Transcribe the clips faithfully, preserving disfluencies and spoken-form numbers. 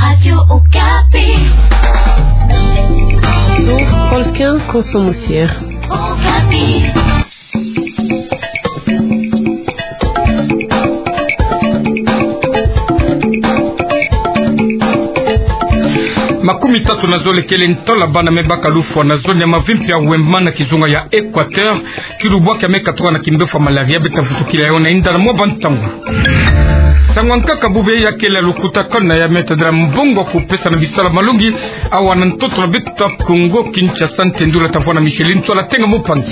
Radio Okapi. Qualquer consommateur. Okapi. Makumi tatu na zole kele ntola bana me baka lufwa na zone ya Mavimpi ya Hoima na kizunga ya Equateur, ki lubwaki ya me katoka na kimbefo ya malaria, beta vutukila yayo na inda na mwa bantangu. Nsangu ya nkaka bubu ya kele lukutakanu ya me tadila mbongo kupesa na bisalu ya malongi, awa na ntoto na beto ya Kongo Kinshasa, ntendu la tavwa na Micheline Ntsoila Tenga Mupangi.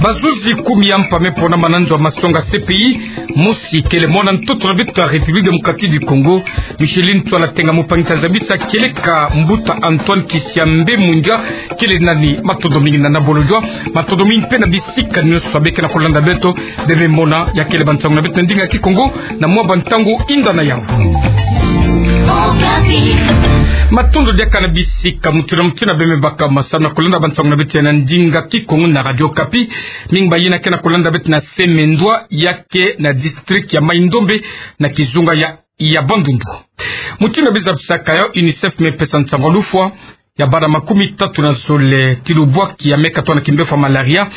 Bazuzi kumi ya mpa me ponama na nzo ya masonga C P I, mosi kele mwana ntoto na beto ya République Démocratique du Congo, Micheline Ntsoila Tenga Mupangi ta zabisa kieleka mbuta Antoine Kisiambe Mwinga, kele nani. Matondo mingi na nabolo jwa, matondo mingi mpe na bisika nyonso beke na kolanda beto, bebe mona ya kele bansangu na beto na ndinga Kikongo, na mwa bantangu inda na yawu. Matondo diaka na bisika mutindu na mutindu beme baka masamu na kolanda bansangu na beto ya na ndinga Kikongo na Radio Okapi, mingi bayina ke na kolanda beto na Semendwa, ya ke na district ya Mai-Ndombe, na kizunga ya, ya Bandundu. Mutindu beza bisaka yawu, UNICEF me pesa nsangu ya lufwa ya bana makumi tatu na zole ti lubwaki ya me katoka na kimbefo ya malaria,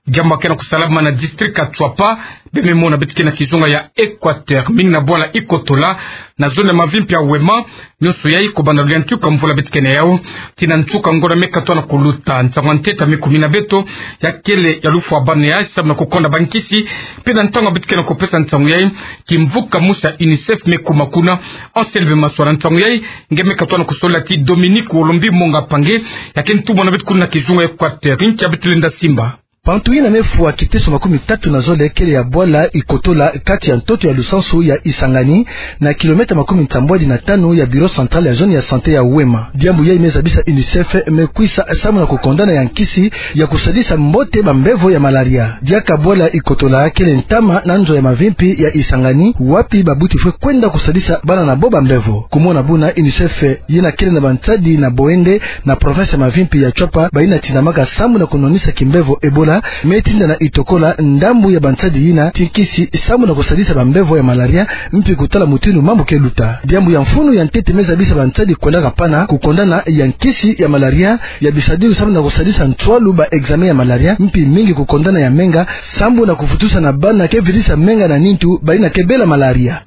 diambu ke na kusalama na district ya Tshuapa, beme mona beto ke na kizunga ya Equateur, mingi na bwala Ikotola, na zone ya Mavimpi ya Hoima, nyonso yayi kobanda luyantika mvula beto ke na yawu, tii na nsuka ngonda me katoka na kuluta. Nsangu ya ntete me kumina beto, ya kele ya lufwa bana yayi samu na kukonda bankisi, mpe na ntangu beto ke na kupesa nsangu yayi, kimvuka musi ya UNICEF me kuma kuna. Anselme Maswa na nsangu yayi, nge me katoka na kusola ti Dominique Olombi Monga Pange, ya ke ntumwa na beto kuna na kizunga ya Equateur, nkia beto lenda simba. Bantu yina me fwa kiteso makumi tatu na zole kele ya bwala Ikotola, kati ya ntoto ya lusansu ya Isangani, na kilomètre makumi nsambwadi na tanu ya bureau central ya zone ya santé ya Hoima. Diambu yayi me zabisa UNICEF me kwisa samu na kukondana ya nkisi ya kusadisa mbote bambevo ya malaria. Diaka bwala Ikotola kele ntama na nzo ya Mavimpi ya Isangani, wapi babuti fwe kwenda kusadisa bana na bo bambevo. Kumona buna UNICEF yina kele na bansadi na Boende, na province ya Mavimpi ya Tshuapa, bayina tindamaka samu na kunwanisa kimbevo Ebola, me tinda na Itokola ndambu ya bansadi yina ti nkisi samu na kusadisa bambevo ya malaria, mpi kutala mutindu mambu ke luta. Diambu ya mfunu ya ntete me zabisa bansadi kwendaka pana kukondana ya nkisi ya malaria, ya bisadilu samu na kusadisa nswalu ba examen ya malaria, mpi mingi kukondana ya menga, samu na kufutusa na bana ke virisa menga na nintu, bayina ke bela malaria.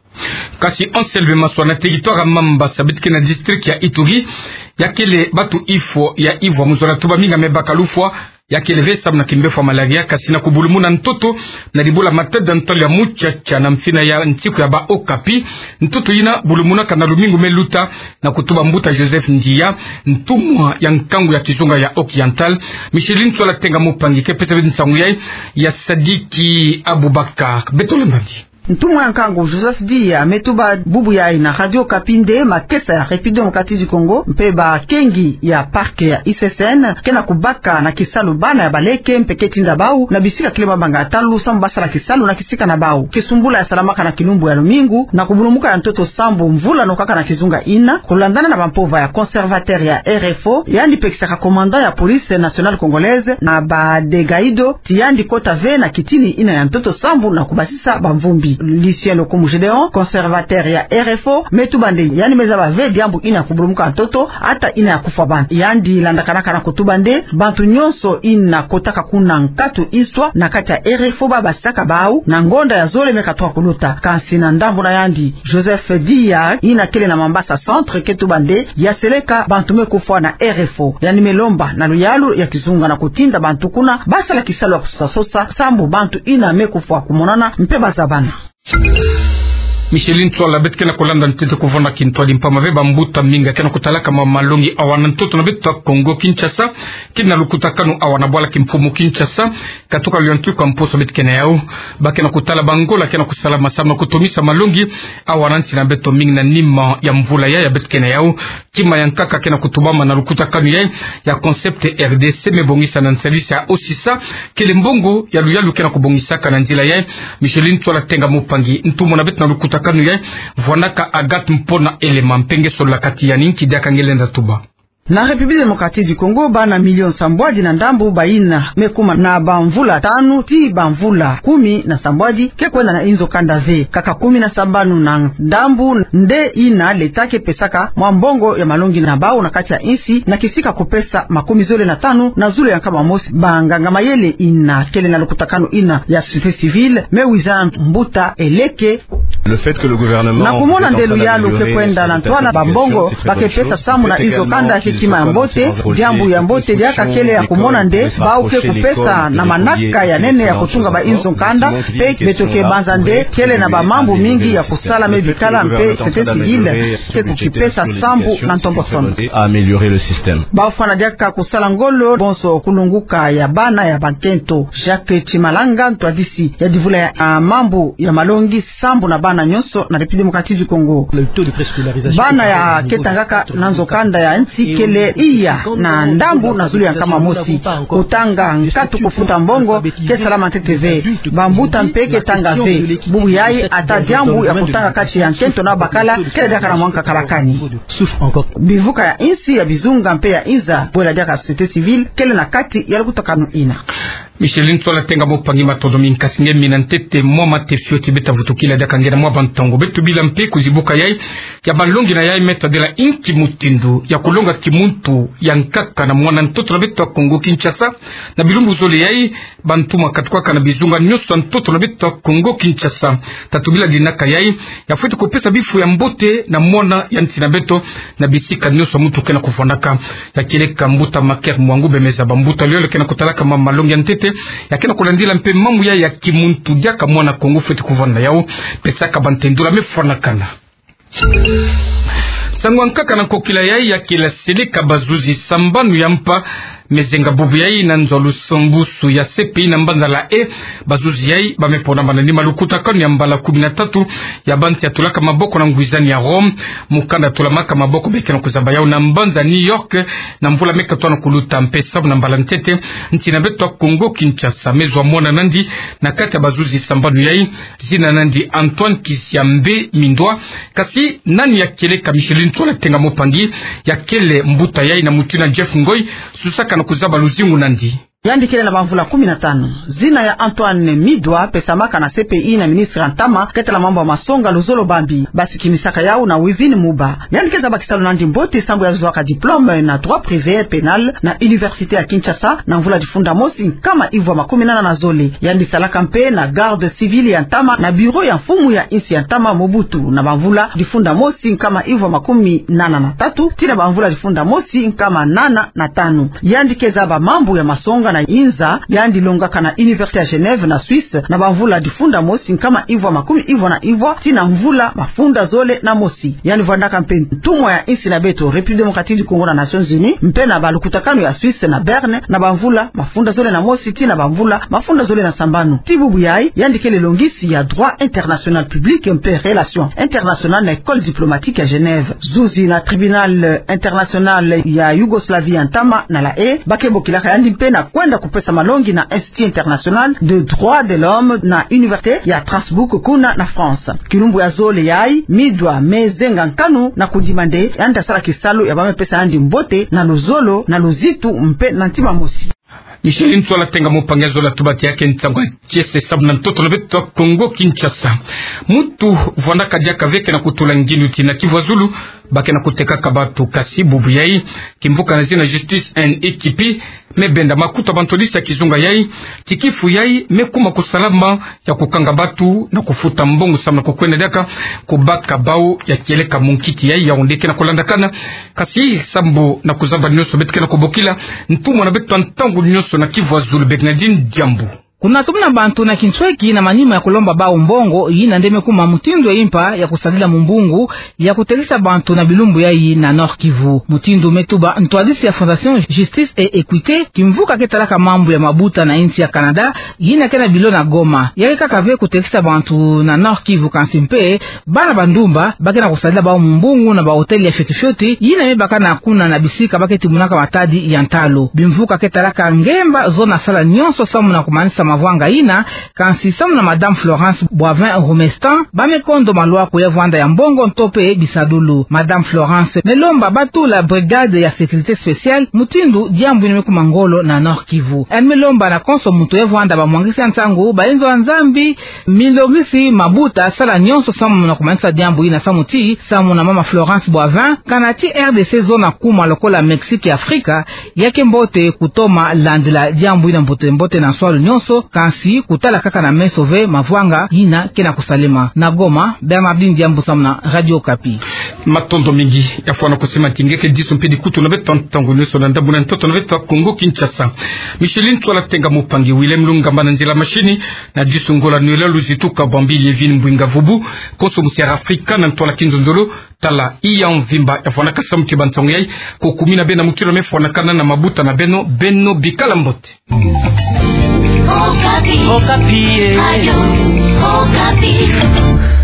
Kasi Anselme Maswa, na territoire ya Mambasa, beto ke na district ya Ituri, ya kele bantu ifo ya ivwa muzola tuba mingi me baka lufwa, ya kele ve samu na kimbefo ya malaria, kasi na kubulumuna ntoto na dibula Matadi ya ntwala ya muchacha na mfina ya nsiku ya ba Okapi, ntoto yina bulumunaka na lumingu me luta, na kutuba mbuta Joseph Ndiya, ntumwa ya nkangu ya kizunga ya Occidental. Micheline Ntsoila Tenga Mupangi ke pesa beto nsangu yayi, ya Sadiki Abubakar. Beto lembandi. Ntumwa ya nkangu Joseph Ndiya me tuba bubu yayi na Radio Okapi nde makesa ya République Démocratique du Congo mpe bakengi ya parc ya I C C N ke na kubaka na kisalu bana ya baleke mpe ke tinda bawu na bisika kele mabanga ya ntalu samu basala kisalu na kisika na bawu. Kisumbula ya salamaka na kilumbu ya lumingu, na kubulumuka ya ntoto sambu mvula nokaka na kizunga yina, kulandana na bampova ya conservateur ya R F O, yandi pekisaka commandant ya police nationale congolaise na ba Degaido, ti yandi kota ve na kitini yina ya ntoto sambu na kubasisa bamvumbi. Lucien Lokumu Gédéon, conservateur ya R F O, me tuba nde yandi me zaba ve diambu yina ya kubulumuka ntoto, ata yina ya kufwa bana. Yandi landakanaka na kutuba nde bantu nyonso yina kotaka kuna nkatu iswa na kati ya R F O babasisaka bawu na ngonda ya zole me katoka kuluta. Kansi na ndambu na yandi, Joseph Ndiya, yina kele na Mambasa Centre, ke tuba nde ya seleka bantu me kufwa na R F O. Yandi me lomba na luyalu ya kizunga na kutinda bantu kuna basala kisalu ya kusosa sosa, sambu bantu yina me kufwa kumonana mpe bazabana. Micheline Ntsoila, beto ke na kulanda ntete kuvona kintwadi mpamba ve bambuta mingi ke na kutalaka ma malongi awa na ntoto na beto ya Congo Kinshasa, kina lukutakanu awa na bwala kimfumu Kinshasa, katuka luyantu kwa mposo beto ke na yawu. Ba ke na kutala bangola ke na kusalama samu na kutomisa malongi awa na nsi na beto, mingi na nima ya mvula yayi ya beto ke na yawu. Kima ya nkaka ke na kutubama na lukutakanu yayi ya Concept R D C me bongisa na nsalisi ya O C S A, kele mbongo ya luyalu ke na kubongisaka na nzila yayi. Micheline Ntsoila Tenga Mupangi, ntumwa na beto na lukutakanu yayi, vwanaka Agathe Mpona Elema, mpe nge solola kati ya nki diaka nge lenda tuba. Na République Démocratique du Congo, bana milioni sambwadi na ndambu bayina me kuma na bamvula tanu tii bamvula kumi na sambwadi ke kwenda na inzo kanda ve. Kaka kumi na sambanu na ndambu nde yina l'État ke pesaka mwa mbongo ya malongi na bau na kati ya insi, na kisika kupesa makumi zole na tanu na zulu ya nkama mosi banganga mayele yina kele na lukutakanu yina ya société civile, me wiza mbuta Eleke. Na kumona nde luyalu ke kwenda na ntwala bambongo ba ke pesa sambu na inzo kanda ke kima ya mbote. Diambu ya mbote diaka kele ya kumona nde bau ke kupesa na manaka ya nene ya kutunga bainzo kanda, mpe beto ke banza nde kele na bamambu mingi ya kusala, me bikala mpe société civile ke kukipesa sambu na ntombosono. Bafwana diaka kusala ngolo bonso kulunguka ya bana ya bankento. Jacques Tshimalanga, ntwadisi ya divula ya, ah, mambu ya malongi sambu na bana nyonso na République Démocratique du Congo. Bana ya ke tangaka na nzo kanda ya nsi kele iya na ndambu na zulu ya nkama mosi. Kutanga nkatu kufuta mbongo ke salama ntete ve. Bambuta mpe ke tanga ve. Bubu yayi ata diambu ya kutanga kati ya nkento na bakala kele diaka na mwa nkakalakani. Bivuka ya insi, ya bizunga mpe ya inza, bwela diaka société civile kele na kati ya lukutakanu yina. Micheline Ntsola Tenga Mopangui, matondo mingi, kasi nge mina ntete mwa mate fioti beta vutukila diaka nge na mwa bantangu. Beto bila mpe kuzibuka yayi ya malongi na yayi me tadila inki mutindu ya kulonga kimuntu ya nkaka na mwana ntoto na beto ya Kongo Kinshasa. Na bilumbu zole yayi, bantu ma katukaka na bizunga nyonso ya ntoto na beto ya Kongo Kinshasa. Tatu bila dinaka yayi ya fweti kupesa bifu ya mbote na mwana ya nsi na beto na bisika nyonso muntu ke na kufwanaka. Ya kieleka mbuta Maker Mwangu Bemeza, bambuta lolo ke na kutalaka ma malongi ya ntete, ya ke na kulandila mpe mambu ya, ya kimuntu diaka mwana Kongo fweti kuvwanda yau, pesaka bantendula me fwanakana. Nsangu ya nkaka na nkokila yayi ya kila seleka bazuzi sambanu ya mpa me zenga bubu yayi na nzo ya lusumbusu ya C P I na mbanza La Haye. Bazuzi yayi ba me ponama na nima lukutakanu ya mbala kumi na tatu ya bantu ya tulaka maboko na ngwizani ya Rome. Mukanda tulamaka maboko be ke na kuzaba yau na mbanza New York na mvula me katoa na kuluta, mpe sambu na mbala ntete nsi na beto ya Kongo Kinshasa me zwa mwana nandi na kati ya bazuzi sambanu yayi. Zina nandi Antoine Kisiambe Mindwa. Kasi nani ya kieleka Micheline Ntsola Tenga Mopangui, ya kele mbuta yayi na mutu yina Jeff Ngoy susaka na kuzaba luzingu nandi. Yandi kele na bamvula kumi na tanu. Zina ya Antoine Mindwa pesamaka na C P I na ministre ya ntama ke tala mambu ya masonga, luzolo bambi. Basikinisaka yau na Wivine Muba. Yandi ke zaba kisalu nandi mbote sambu ya zwaka diplôme na droit privé pénal na université ya Kinshasa na mvula difunda mosi nkama ivwa makumi nana na zole. Yandi salaka mpe na garde civile ya ntama na bureau ya mfumu ya insi ya ntama Mobutu na bamvula difunda mosi nkama ivwa makumi nana na tatu tii na bamvula difunda mosi nkama nana na tanu. Yandi ke zaba mambu ya masonga na inza. Yandi longaka na université ya Genève na Suisse na bamvula difunda mosi nkama ivwa makumi ivwa na ivwa tii na mvula mafunda zole na mosi. Yandi vwandaka mpe ntumwa ya insi na beto République Démocratique du Congo na Nations Unies, mpe na balukutakanu ya Suisse na Berne na bamvula mafunda zole na mosi tii na bamvula mafunda zole na sambanu. Tii bubu yayi, yandi kele longisi ya droit international public mpe relations internationales na École diplomatique ya Genève. Zuzi na Tribunal International ya Yougoslavie ya ntama na La Haye, ba ke bokilaka yandi mpe na kwenda kupesa malongi na Institut International de Droits de l'Homme na Université ya Strasbourg kuna na France. Kilumbu ya zole yayi, Mindwa me zenga nkanu na kudima nde yandi asala kisalu ya ba me pesa yandi mbote na luzolo, na luzitu mpe na ntima mosi. Micheline Ntsola Tenga Mopangui, zola tuba ti ya ke nsangu ya kiese sambu na ntoto na beto ya Kongo Kinshasa. Muntu vwandaka diaka ve ke na kutula ngindu ti na Kivu ya Zulu ba ke na kutekaka bantu, kasi bubu yayi kimvuka na zina Justice and Equité me benda makutu ya bantwadisi ya kizunga yayi ti kifu yayi me kuma kusalama ya kukanga bantu na kufuta mbongo sambu na kukwenda diaka kubaka bau. Ya kieleka munkiki yayi Yaoundé ke na kulandakana, kasi sambu na kuzaba nyonso beto ke na kubokila ntumwa na beto ya ntangu nyonso na Kivu ya Zulu, Bernardine Diambu. Kuna tumona bantu na kinsweki na manima ya kulomba bau mbongo, yina nde me kuma mutindu ya impa ya kusadila mumbungu ya kutekisa bantu na bilumbu yayi na Nord-Kivu. Mutindu me tuba ntwadisi ya Fondation Justice et Equité, kimvuka ke talaka mambu ya mabuta na insi ya Canada, yina ke na bilo na Goma. Ya ke kaka ve kutekisa bantu na Nord-Kivu, kansi mpe bana bandumba ba ke na kusadila bau mumbungu na ba hôtel ya fioti fioti yina me baka na kuna na bisika ba ke timonaka matadi ya ntalu. Bimvuka ke talaka ngemba zono sala nyonso sambu na kumanisa mavwanga ina, kansi samu na Madame Florence Boivin Romestan, ba me kondo maloa kuya vwanda ya mbongo nto pe bisadulu. Madame Florence me lomba batula brigade ya sécurité spéciale, mutindu diambu ina me kuma ngolo na Nord-Kivu. Elle me lomba na konso muntu ya vwanda bamwangisi ya nsangu, bayenzo ya Nzambi, milongisi mabuta, sala nyonso samu na kumangisa diambu ina samu ti, samu na Mama Florence Boivin, kana ti R D C zona kuma lokola Mexique ya Afrika, ya ke mbote kutoma landila diambu ina mbote mbote na nswalu nyonso, kansi kutala kaka na meso ve mavwanga ina ke na kusalema. Na Goma, Bernardine Diambu samu na Radio Okapi. Matondo mingi, ya fwana kusema ti nge ke disu mpe dikutu na beto ntangu nyonso na ndambu na ntoto na beto Kongo Kinshasa. Micheline Tswala Tenga Mupangi, Willem Lungamba na nzila mashini, na disu ngolo nwela luzitu ka bambili Evine Mbwinga Vubu, konso musi ya Afrika na ntwala kinzonzolo, tala iya mvimba ya fwanaka samu ti bansangu yayi, ko kumina bena mukilo me fwanakana na mabuta na beno, beno bikala mbote. Okapi. Okapi, eh. Radio Okapi.